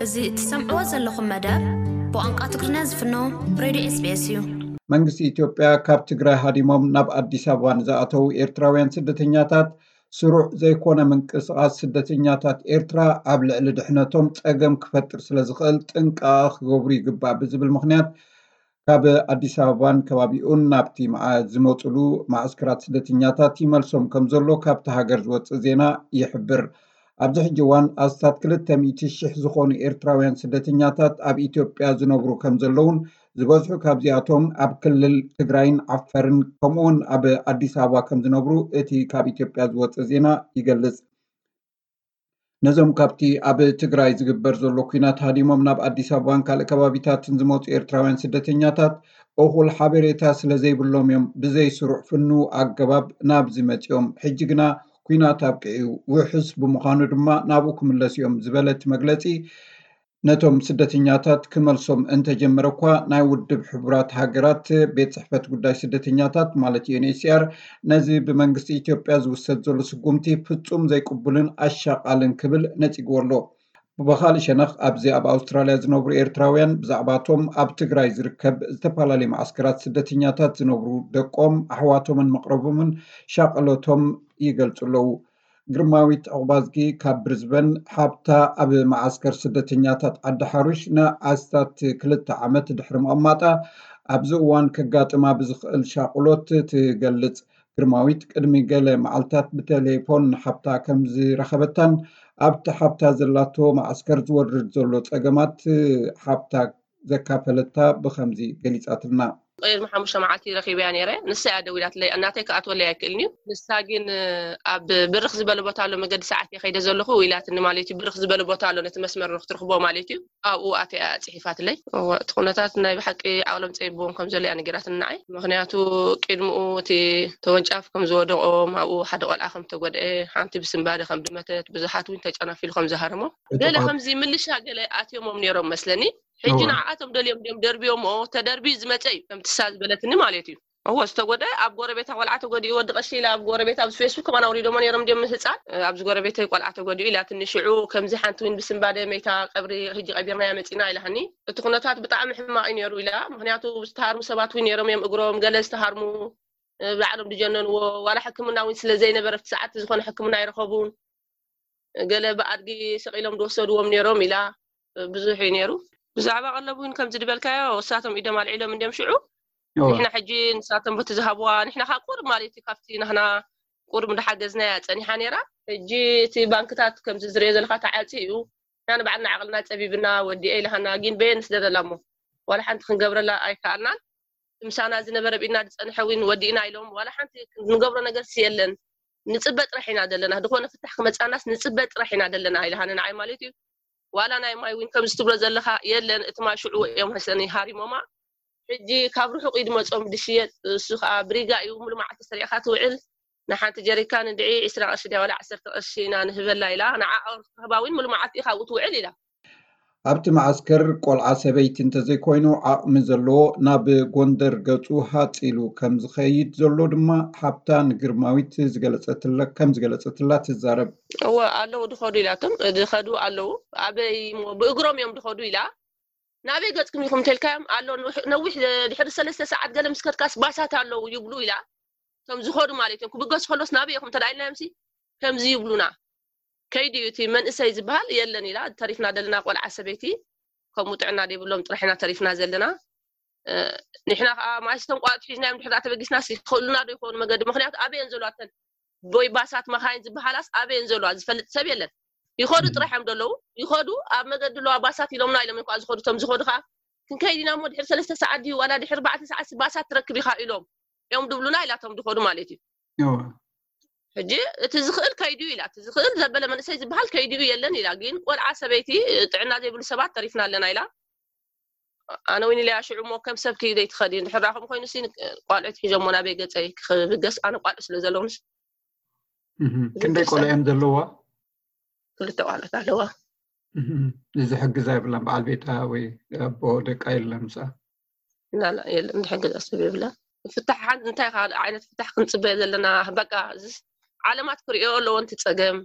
እዚ እትሰምዕዎ ዘለኹም መደብ ብቋንቋ ትግርኛ ዝፍኖ ሬድዮ ኤስቢኤስ እዩ። መንግስቲ ኢትዮጵያ ካብ ትግራይ ሃዲሞም ናብ ኣዲስ ኣበባ ንዝኣተዉ ኤርትራውያን ስደተኛታት ስሩዕ ዘይኮነ ምንቅስቓስ ስደተኛታት ኤርትራ ኣብ ልዕሊ ድሕነቶም ጸገም ክፈጥር ስለ ዝኽእል ጥንቃቐ ክገብሩ ይግባእ ብዝብል ምኽንያት ካብ ኣዲስ ኣበባን ከባቢኡን ናብቲ ዝመፅሉ ማዕስከራት ስደተኛታት ይመልሶም ከም ዘሎ ካብቲ ሃገር ዝወፅእ ዜና ይሕብር። ኣብዚ ሕጂ እዋን ኣስታት ክልተ ሚእቲ ሽሕ ዝኾኑ ኤርትራውያን ስደተኛታት ኣብ ኢትዮጵያ ዝነብሩ ከም ዘለውን ዝበዝሑ ካብዚኣቶም ኣብ ክልል ትግራይን ዓፈርን ከምኡውን ኣብ ኣዲስ ኣበባ ከም ዝነብሩ እቲ ካብ ኢትዮጵያ ዝወፅእ ዜና ይገልፅ። ነዞም ካብቲ ኣብ ትግራይ ዝግበር ዘሎ ኲናት ሃዲሞም ናብ ኣዲስ ኣበባን ካልእ ከባቢታትን ዝመፁ ኤርትራውያን ስደተኛታት እኹል ሓበሬታ ስለ ዘይብሎም እዮም ብዘይ ስሩዕ ፍኑ ኣገባብ ናብዚ መፂኦም። ሕጂ ግና ኲናት ኣብቂዑ ውሑስ ብምዃኑ ድማ ናብኡ ክምለሱ እዮም ዝበለ እቲ መግለፂ፣ ነቶም ስደተኛታት ክመልሶም እንተጀመረ እኳ ናይ ውድብ ሕቡራት ሃገራት ቤት ፅሕፈት ጉዳይ ስደተኛታት ማለት ዩኤንኤችሲኣር ነዚ ብመንግስቲ ኢትዮጵያ ዝውሰድ ዘሎ ስጉምቲ ፍፁም ዘይቅቡልን ኣሻቓልን ክብል ነፂግዎ ኣሎ። ብኻልእ ሸነኽ ኣብዚ ኣብ ኣውስትራልያ ዝነብሩ ኤርትራውያን ብዛዕባቶም ኣብ ትግራይ ዝርከብ ዝተፈላለዩ ማዕስከራት ስደተኛታት ዝነብሩ ደቆም ኣሕዋቶምን መቕረቦምን ሻቕሎቶም ይገልፁ ኣለዉ። ግርማዊት ዑቕባዝጊ ካብ ብሪዝበን ሓብታ ኣብ መዓስከር ስደተኛታት ዓዲ ሓሩሽ ንኣስታት ክልተ ዓመት ድሕሪ ምቕማጣ ኣብዚ እዋን ከጋጥማ ብዝኽእል ሻቕሎት ትገልጽ። ግርማዊት ቅድሚ ገለ መዓልታት ብቴሌፎን ንሓብታ ከም ዝረኸበታን ኣብቲ ሓብታ ዘላቶ መዓስከር ዝወርድ ዘሎ ጸገማት ሓብታ ዘካፈለታ ብኸምዚ ገሊጻትልና። ቅድሚ ሓሙሽተ መዓልቲ ረኺበያ ነይረ። ንሳ እያ ደዊላትለይ፣ እናተይ ክኣትወለይ ኣይክእልን እዩ። ንሳ ግን ኣብ ብርኽ ዝበለ ቦታ ኣሎ፣ መገዲ ሰዓት እየ ከይደ ዘለኹ ኢላትኒ ማለት እዩ። ብርኽ ዝበለ ቦታ ኣሎ፣ ነቲ መስመር ክትረኽቦ ማለት እዩ። ኣብኡ ኣትያ እያ ጽሒፋትለይ። እወ፣ እቲ ኩነታት ናይ ብሓቂ ዓቕሎም ጸቢብዎም ከም ዘሎ እያ ነጊራትኒ ንዓይ። ምኽንያቱ ቅድምኡ እቲ ተወንጫፍ ከም ዝወደቖም፣ ኣብኡ ሓደ ቆልዓ ከም ተጎድአ፣ ሓንቲ ብስንባደ ከም ድመተት፣ ብዙሓት እውን ተጨናፊሉ ከም ዝሃረሞም፣ ገለ ከምዚ ምልሻ ገለ ኣትዮሞም ነይሮም መስለኒ። ሕጂ ንዓኣቶም ደልዮም ድዮም ደርብዮምዎ፣ ተደርብዩ ዝመጸ እዩ ከምቲ እሳ ዝበለትኒ ማለት እዩ። እወ፣ ዝተጎድአ ኣብ ጎረቤታ ቆልዓ ተጎዲኡ፣ ወዲ ቀሺ ኢላ ኣብ ጎረቤታ ኣብዚ ፌስቡክ ከማን ኣውሪዶሞ ነይሮም ድዮም ህጻን፣ ኣብዚ ጎረቤተይ ቆልዓ ተጎዲኡ ኢላትኒ። ሽዑ ከምዚ ሓንቲ እውን ብስንባደ መይታ ቀብሪ ሕጂ ቀቢርናያ መጺና ኢላትኒ። እቲ ኩነታት ብጣዕሚ ሕማቕ እዩ ነይሩ ኢላ። ምኽንያቱ ዝተሃርሙ ሰባት እውን ነይሮም እዮም፣ እግሮም ገለ ዝተሃርሙ፣ ባዕሎም ዝጀነንዎ፣ ዋላ ሕክምና እውን ስለ ዘይነበረ ኣብቲ ሰዓት ዝኾነ ሕክምና ኣይረኸቡን። ገለ ብኣድጊ ሰቒሎም ዝወሰድዎም ነይሮም ኢላ። ብዙሕ እዩ ነይሩ። ብዛዕባ ቀለብ እውን ከምዚ ዝበልካዮ እሳቶም ኢዶም ኣልዒሎም እንድዮም ሽዑ። ንሕና ሕጂ ንሳቶም በቲ ዝሃብዋ፣ ንሕና ከዓ ቁሩብ ማለት እዩ ካብቲ ናህና ቁሩብ እንዳሓገዝናያ ጸኒሓ ነይራ። ሕጂ እቲ ባንክታት ከምዚ ዝሪኦ ዘለካ ተዓጽዩ እዩ። ንሕና ንባዕልና ዓቕልና ጸቢብና ወዲኤ ኢላሃና፣ ግን በየን ንስደደላ እሞ ዋላ ሓንቲ ክንገብረላ ኣይከኣልናን። ምሳና ዝነበረ ብኢድና ዝጸንሐ እውን ወዲእና ኢሎም፣ ዋላ ሓንቲ ንገብሮ ነገርሲ የለን። ንጽበ ጥራሕ ኢና ዘለና፣ ዝኾነ ፍታሕ ክመጻናስ ንጽበ ጥራሕ ኢና ዘለና ኢላሃኒ ንዓይ ማለት እዩ። ዋላ ናይ ማይ እውን ከምዚ ትብሎ ዘለኻ የለን፣ እቲ ማይ ሽዑ እዮም መሰለኒ ሃሪሞማ። ሕጂ ካብ ርሑቕ እዩ ዝመጾም ዝሽየጥ፣ እሱ ከዓ ብሪጋ እዩ፣ ሙሉ መዓልቲ ሰሪዕካ ትውዕል። ንሓንቲ ጀሪካን እንድዒ ዕስራ ቅርሺ ድያ ዋላ ዓሰርተ ቅርሺ ኢና ንህበላ ኢላ፣ ንዓ ክህባ እውን ሙሉ መዓልቲ ኢኻ ኣብኡ ትውዕል ኢላ። ኣብቲ መዓስከር ቆልዓ ሰበይቲ እንተዘይኮይኑ ዓቕሚ ዘለዎ ናብ ጎንደር ገፁ ሃፅ ኢሉ ከም ዝኸይድ ዘሎ ድማ ሓብታ ንግርማዊት ዝገለፀትላ ከም ዝገለፀትላ ትዛረብ። እወ ኣለዉ ድኸዱ ኢላቶም ድኸዱ ኣለዉ። ኣበይ እሞ ብእግሮም እዮም ድኸዱ ኢላ። ናበይ ገፅኩም ኢኹም እንተልካዮም ኣሎ ነዊሕ ድሕሪ ሰለስተ ሰዓት ገለ ምስ ከድካስ ባሳት ኣለዉ ይብሉ ኢላ። እቶም ዝኸዱ ማለት እዮም ክብገሱ ከሎስ ናበይ ኢኹም እንተደኣ ኢልናዮምሲ ከምዚ ይብሉና። ከይዲ እዩ እቲ መንእሰይ ዝበሃል የለን ኢላ ተሪፍና ዘለና ቆልዓ ሰበይቲ ከምኡ ጥዕና ዘይብሎም ጥራሕ ኢና ተሪፍና ዘለና። ንሕና ከዓ ማእስቶም ቆልዑት ሒዝናዮም ድሕር ተበጊስናስ ይኽእሉና ዶ ይኾኑ መገዲ? ምክንያቱ ኣበየን ዘለዋ እተን ወይ ባሳት መካይን ዝበሃላስ ኣበየን ዘለዋ ዝፈልጥ ሰብ የለን። ይኸዱ ጥራሕ እዮም ዘለዉ። ይኸዱ ኣብ መገዲ ኣለዋ ባሳት ኢሎምና ኢሎም እኳ ዝኸዱ እቶም ዝኸዱ ከዓ ክንከይድ ኢና እሞ ድሕሪ ሰለስተ ሰዓት ድዩ ዋላ ድሕሪ ኣርባዕተ ሰዓት ባሳት ትረክብ ኢኻ ኢሎም እዮም ድብሉና ኢላቶም ዝኸዱ ማለት እዩ። ሕጂ እቲ ዝኽእል ከይድዩ ኢላ፣ እቲ ዝኽእል ዘበለ መንእሰይ ዝበሃል ከይድዩ የለን ኢላ። ግን ቆልዓ ሰበይቲ ጥዕና ዘይብሉ ሰባት ተሪፍና ኣለና ኢላ። ኣነ እውን ኢለያ ሽዑ እሞ ከም ሰብ ክይደይ ትኸዲ ድሕር ራኹም ኮይኑ ሲ ቆልዑት ሒዞሞ ናበይ ገፀይ ክብገስ ኣነ ቆልዑ ስለ ዘለውንስ ክንደይ ቆልዑ እዮም ዘለዋ? ክልተ ቆልዑት ኣለዋ። እዚ ሕግዛ የብላን በዓል ቤታ ወይ ኣቦ ደቃ የለን ምስኣ? ላላ የለን ዝሕግዛ ሰብ የብላን። ፍታሕ ሓንቲ እንታይ ካልእ ዓይነት ፍታሕ ክንፅበ ዘለና? በቃ እዚስ ዓለማት ክርእዮ ኣለዎ ነቲ ፀገም።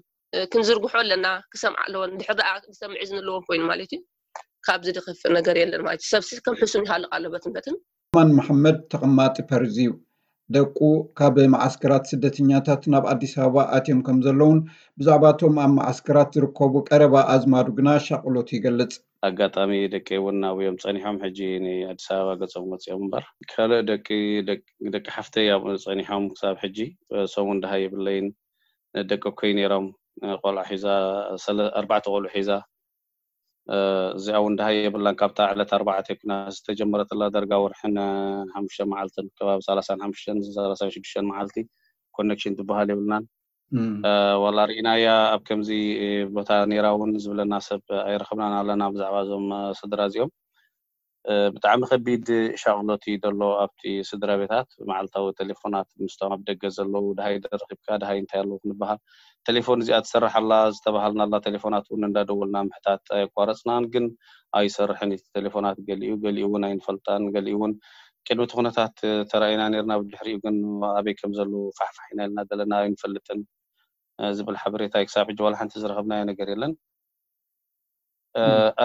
ክንዝርግሖ ኣለና። ክሰምዓ ኣለወን። ድሕር ደኣ ዝሰምዕ ዝንለዎም ኮይኑ ማለት እዩ። ካብዚ ድኸፍእ ነገር የለን ማለት እዩ። ሰብሲ ከም ሕሱም ይሃልቕ ኣሎ በትንበትን። ማን መሐመድ ተቐማጢ ፐርዝ እዩ። ደቁ ካብ መዓስከራት ስደተኛታት ናብ ኣዲስ ኣበባ ኣትዮም ከም ዘለውን ብዛዕባቶም ኣብ መዓስከራት ዝርከቡ ቀረባ ኣዝማዱ ግና ሻቕሎት ይገልጽ። ኣጋጣሚ ደቂ እውን ኣብዮም ጸኒሖም ሕጂ ንኣዲስ ኣበባ ገጾም ወጺኦም እምበር ካልእ ደቂ ደቂ ሓፍተይ ኣብኡ ጸኒሖም ክሳብ ሕጂ ሰሙን ድሃ የብለይን። ደቂ እኮይ ነይሮም ቆልዓ ሒዛ ኣርባዕተ ቆልዑ ሒዛ እዚኣ እውን ድሃ የብላን። ካብታ ዕለት ኣርባዕተ ኩና ዝተጀመረትላ ደርጋ ወርሕን ሓሙሽተ መዓልትን ከባቢ ሰላሳን ሓሙሽተን ሰላሳን ሽዱሽተን መዓልቲ ኮኔክሽን ዝበሃል የብልናን። ዋላ ርኢናያ ኣብ ከምዚ ቦታ ነይራ እውን ዝብለና ሰብ ኣይረኸብናን ኣለና ብዛዕባ እዞም ስድራ እዚኦም። ብጣዕሚ ከቢድ ሻቕሎት እዩ ዘሎ ኣብቲ ስድራ ቤታት። መዓልታዊ ቴሌፎናት ምስቶም ኣብ ደገ ዘለዉ ድሃይ ደረኺብካ ድሃይ እንታይ ኣለዉ ክንበሃል። ቴሌፎን እዚኣ ትሰርሕ ኣላ ዝተባሃልናላ ቴሌፎናት እውን እንዳደወልና ምሕታት ኣየቋረፅናን፣ ግን ኣይሰርሕን እቲ ቴሌፎናት። ገሊኡ ገሊኡ እውን ኣይንፈልጣን፣ ገሊኡ እውን ቅድሚ እቲ ኩነታት ተራኢና ነርና፣ ብድሕሪኡ ግን ኣበይ ከም ዘለዉ ፋሕፋሕ ኢና ኢልና ዘለና ኣይንፈልጥን ዝብል ሓበሬታ ክሳብ ሕጂ ዋላ ሓንቲ ዝረኸብናዮ ነገር የለን።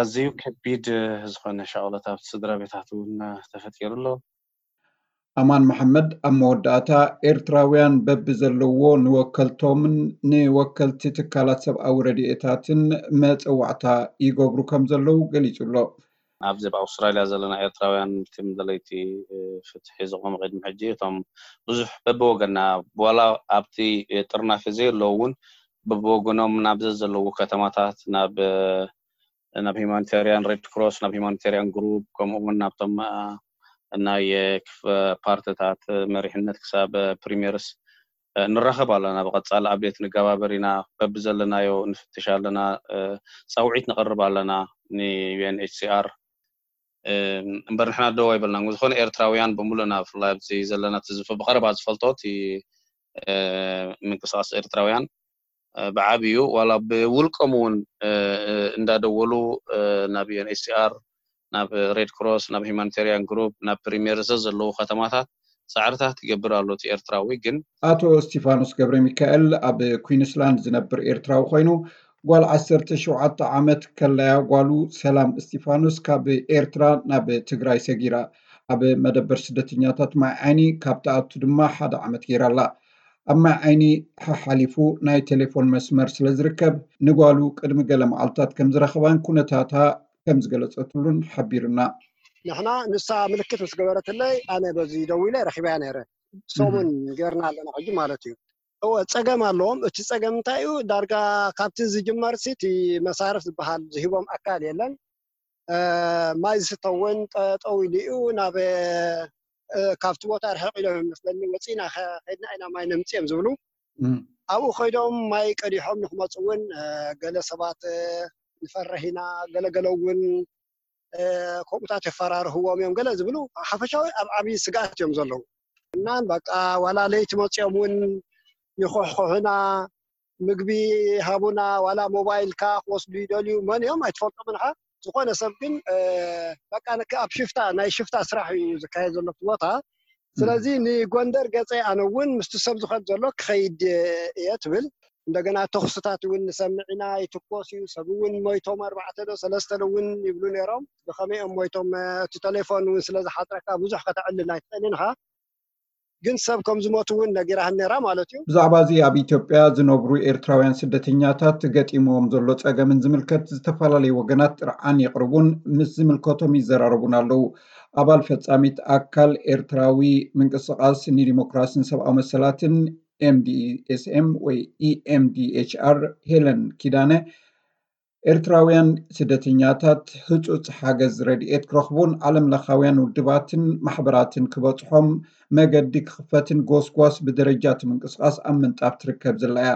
ኣዝዩ ከቢድ ዝኾነ ሻቕሎት ኣብቲ ስድራ ቤታት እውን ተፈጢሩ ኣሎ። ኣማን መሐመድ ኣብ መወዳእታ ኤርትራውያን በቢ ዘለዎ ንወከልቶምን ንወከልቲ ትካላት ሰብኣዊ ረድኤታትን መጸዋዕታ ይገብሩ ከም ዘለዉ ገሊጹ ኣሎ። ኣብዚ ኣብ ኣውስትራልያ ዘለና ኤርትራውያን ቲም ደለይቲ ፍትሒ ዝቆመ ቅድሚ ሕጂ እቶም ብዙሕ በብወገና ዋላ ኣብቲ ጥርናፊ ዘየለዉ እውን በብወገኖም ናብ ዘዘለዉ ከተማታት ናብ ናብ ሂማኒታሪያን ሬድ ክሮስ ናብ ሂማኒታሪያን ግሩፕ ከምኡ እውን ናብቶም ናይ ፓርትታት መሪሕነት ክሳብ ፕሪሚየርስ ንራኸብ ኣለና። ብቐፃሊ ኣብዴት ንገባበር ኢና። በብዘለናዮ ንፍትሽ ኣለና። ፃውዒት ንቕርብ ኣለና ን ዩ ኤን ኤች ሲ ኣር። እምበር ንሕና ደው ኣይበልናን። ዝኾነ ኤርትራውያን ብምሉእና ብፍላይ ኣብዚ ዘለና ትዝፍ ብቐረባ ዝፈልጦ እቲ ምንቅስቃስ ኤርትራውያን ብዓብዩ ዋላ ብውልቆም እውን እንዳደወሉ ናብ ዩ ኤን ኤች ሲ ኣር ናብ ሬድ ክሮስ ናብ ሂማኒታሪያን ግሩፕ ናብ ፕሪሚየር ዘዘለዉ ከተማታት ፃዕርታት ይገብር ኣሎ እቲ ኤርትራዊ። ግን ኣቶ እስቲፋኖስ ገብረ ሚካኤል ኣብ ኩዊንስላንድ ዝነብር ኤርትራዊ ኮይኑ ጓል ዓሰርተ ሸውዓተ ዓመት ከላያ ጓሉ ሰላም እስቲፋኖስ ካብ ኤርትራ ናብ ትግራይ ሰጊራ ኣብ መደበር ስደተኛታት ማይ ዓይኒ ካብ ትኣቱ ድማ ሓደ ዓመት ገይራ ኣላ። ኣብ ማይ ዓይኒ ሓሓሊፉ ናይ ቴሌፎን መስመር ስለ ዝርከብ ንጓሉ ቅድሚ ገለ መዓልታት ከም ዝረኸባን ኩነታታ ከም ዝገለጸትሉን ሓቢሩና። ንሕና ንሳ ምልክት ምስ ገበረትለይ ኣነ በዚ ደዊለ ረኺበያ ነይረ። ሰሙን ገርና ኣለና ሕጂ ማለት እዩ። እወ ጸገም ኣለዎም። እቲ ጸገም እንታይ እዩ? ዳርጋ ካብቲ ዝጅመር ሲ እቲ መሳርፍ ዝበሃል ዝሂቦም ኣካል የለን። ማይ ዝስተ እውን ጠጠው ኢሉ እዩ። ናብ ካብቲ ቦታ ርሕቕ ኢሎም ይመስለኒ ወፂና ከድና ኢና ማይ ነምፅኦም ዝብሉ። ኣብኡ ከይዶም ማይ ቀዲሖም ንክመፁ እውን ገለ ሰባት ንፈርሕ ኢና፣ ገለገለ እውን ከምኡታት የፈራርህዎም እዮም ገለ ዝብሉ ሓፈሻዊ ኣብ ዓብዪ ስግኣት እዮም ዘለዉ። እናን በቃ ዋላ ለይቲ መፂኦም እውን ይኹሕኩሑና፣ ምግቢ ሃቡና፣ ዋላ ሞባይልካ ክወስዱ ይደልዩ፣ መን እዮም ኣይትፈልጦም ንኻ። ዝኾነ ሰብ ግን በቃ ኣብ ሽፍታ ናይ ሽፍታ ስራሕ እዩ ዝካየድ ዘሎ እቲ ቦታ። ስለዚ ንጎንደር ገፀ ኣነ እውን ምስቲ ሰብ ዝኸድ ዘሎ ክኸይድ እየ ትብል። እንደገና ተኩስታት እውን ንሰምዕ ኢና፣ ይትኮስ እዩ፣ ሰብ እውን ሞይቶም ኣርባዕተ ዶ ሰለስተ ዶ እውን ይብሉ ነይሮም። ብኸመይ እዮም ሞይቶም? እቲ ቴሌፎን እውን ስለ ዝሓፅረካ ብዙሕ ከተዕልል ኣይትኽእልን ኢኻ። ግን ሰብ ከም ዝሞቱ እውን ነጊራህን ነይራ ማለት እዩ። ብዛዕባ እዚ ኣብ ኢትዮጵያ ዝነብሩ ኤርትራውያን ስደተኛታት ገጢምዎም ዘሎ ጸገምን ዝምልከት ዝተፈላለዩ ወገናት ጥርዓን የቕርቡን ምስ ዝምልከቶም ይዘራረቡን ኣለዉ። ኣባል ፈጻሚት ኣካል ኤርትራዊ ምንቅስቓስ ንዲሞክራስን ሰብኣዊ መሰላትን ኤምዲኤስኤም ወይ ኢኤምዲኤችኣር ሄለን ኪዳነ ኤርትራውያን ስደተኛታት ህጹጽ ሓገዝ ረድኤት ክረኽቡን ዓለም ለኻውያን ውድባትን ማሕበራትን ክበጽሖም መገዲ ክኽፈትን ጎስጓስ ብደረጃ እቲ ምንቅስቓስ ኣብ ምንጣፍ ትርከብ ዘላ እያ።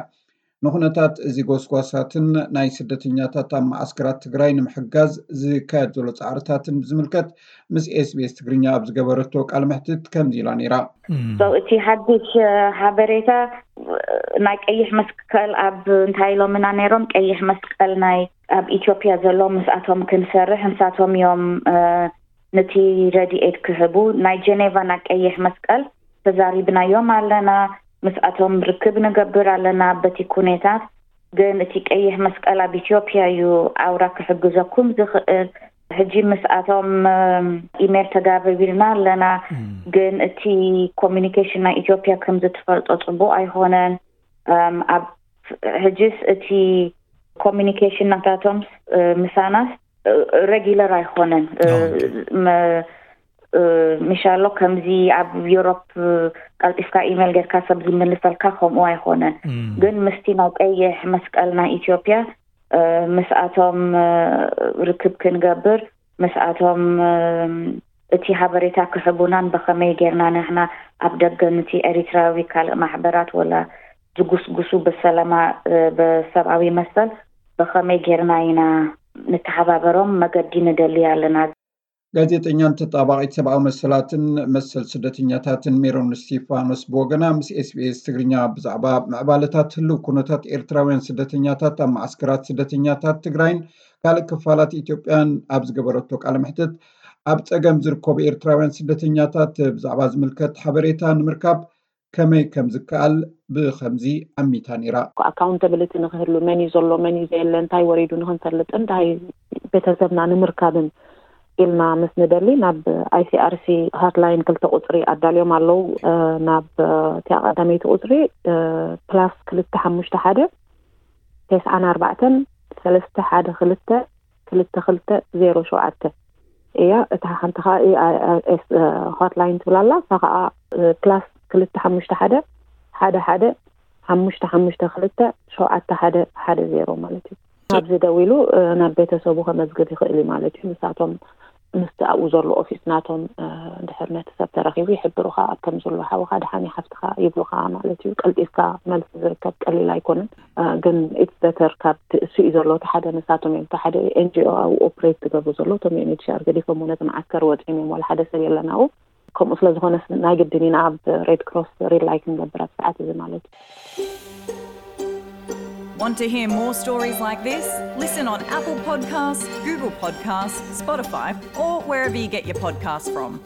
ንኹነታት እዚ ጎስጓሳትን ናይ ስደተኛታት ኣብ መዓስከራት ትግራይ ንምሕጋዝ ዝካየድ ዘሎ ጻዕርታትን ብዝምልከት ምስ ኤስቢኤስ ትግርኛ ኣብ ዝገበረቶ ቃለ መሕትት ከምዚ ኢላ ነይራ። እቲ ሓድሽ ሓበሬታ ናይ ቀይሕ መስቀል ኣብ እንታይ ኢሎምና ነይሮም? ቀይሕ መስቀል ናይ ኣብ ኢትዮጵያ ዘሎ ምስኣቶም ክንሰርሕ ንሳቶም እዮም ነቲ ረድኤት ክህቡ። ናይ ጀኔቫ ናይ ቀይሕ መስቀል ተዛሪብናዮም ኣለና። ምስኣቶም ርክብ ንገብር ኣለና። በቲ ኩነታት ግን እቲ ቀይሕ መስቀል ኣብ ኢትዮጵያ እዩ ኣውራ ክሕግዘኩም ዝኽእል። ሕጂ ምስኣቶም ኢሜል ተጋበቢልና ኣለና። ግን እቲ ኮሚኒኬሽን ናይ ኢትዮጵያ ከም ዝትፈልጦ ጽቡቅ ኣይኮነን። ኣብ ሕጂስ እቲ ኮሚኒኬሽን ናታቶም ምሳናስ ሬጊለር ኣይኮነን። ምሻሎ ከምዚ ኣብ ዩሮፕ ቀልጢፍካ ኢሜል ጌርካ ሰብ ዝምልሰልካ ከምኡ ኣይኮነን። ግን ምስቲ ናይ ቀይሕ መስቀል ናይ ኢትዮጵያ ምስኣቶም ርክብ ክንገብር፣ ምስኣቶም እቲ ሓበሬታ ክሕቡናን ብኸመይ ጌርና ንሕና ኣብ ደገ ንቲ ኤሪትራዊ ካልእ ማሕበራት ወላ ዝጉስጉሱ ብሰላማ ብሰብኣዊ መሰል ብኸመይ ጌርና ኢና ንተሓባበሮም መገዲ ንደሊ ኣለና። ጋዜጠኛን ተጣባቒት ሰብኣዊ መሰላትን መሰል ስደተኛታትን ሜሮን እስቲፋኖስ ብወገና ምስ ኤስቢኤስ ትግርኛ ብዛዕባ ምዕባለታት ህልው ኩነታት ኤርትራውያን ስደተኛታት ኣብ ማዓስከራት ስደተኛታት ትግራይን ካልእ ክፋላት ኢትዮጵያን ኣብ ዝገበረቶ ቃለ መሕትት፣ ኣብ ጸገም ዝርከቡ ኤርትራውያን ስደተኛታት ብዛዕባ ዝምልከት ሓበሬታ ንምርካብ ከመይ ከም ዝከኣል ብኸምዚ ኣሚታ ነይራ። ኣካውንታብሊቲ ንክህሉ፣ መን እዩ ዘሎ፣ መን እዩ ዘየለ፣ እንታይ ወሪዱ ንክንፈልጥን እንታይ ቤተሰብና ንምርካብን ኢልና ምስ ንደሊ ናብ ኣይሲኣርሲ ሃትላይን ክልተ ቁፅሪ ኣዳልዮም ኣለዉ። ናብ እቲኣ ቀዳመይቲ ቁፅሪ ፕላስ ክልተ ሓሙሽተ ሓደ ተስዓን ኣርባዕተን ሰለስተ ሓደ ክልተ ክልተ ክልተ ዜሮ ሸውዓተ እያ። እታ ሓንቲ ከዓ ኤስ ሆትላይን ትብል ኣላ። እሳ ከዓ ፕላስ ክልተ ሓሙሽተ ሓደ ሓደ ሓደ ሓሙሽተ ሓሙሽተ ክልተ ሸውዓተ ሓደ ሓደ ዜሮ ማለት እዩ። ኣብዚ ደዊሉ ናብ ቤተሰቡ ከመዝግብ ይኽእል እዩ ማለት እዩ። ንሳቶም ምስቲ ኣብኡ ዘሎ ኦፊስ ናቶም ድሕር ነቲ ሰብ ተረኺቡ ይሕብሩኻ። ኣብ ከም ዘሎ ሓውኻ ድሓን ሓፍትኻ ይብሉኻ ማለት እዩ። ቀልጢፍካ መልሲ ዝርከብ ቀሊል ኣይኮነን። ግን ኢትስ በተር ካብ እሱ እዩ ዘሎ። እቲ ሓደ ንሳቶም እዮም፣ እቲ ሓደ ኤንጂኦ ኣብኡ ኦፕሬት ዝገብሩ ዘሎ እቶም ዩኤንኤችሲኣር ገዲፎም ነቲ መዓስከር ወፂኦም እዮም። ዋላ ሓደ ሰብ የለን ኣብኡ። ከምኡ ስለ ዝኾነ ናይ ግድን ኢና ኣብ ሬድ ክሮስ ሪላይ ክንገብር ኣብ ሰዓት እዚ ማለት እዩ። Want to hear more stories like this? Listen on Apple Podcasts, Google Podcasts, Spotify, or wherever you get your podcasts from.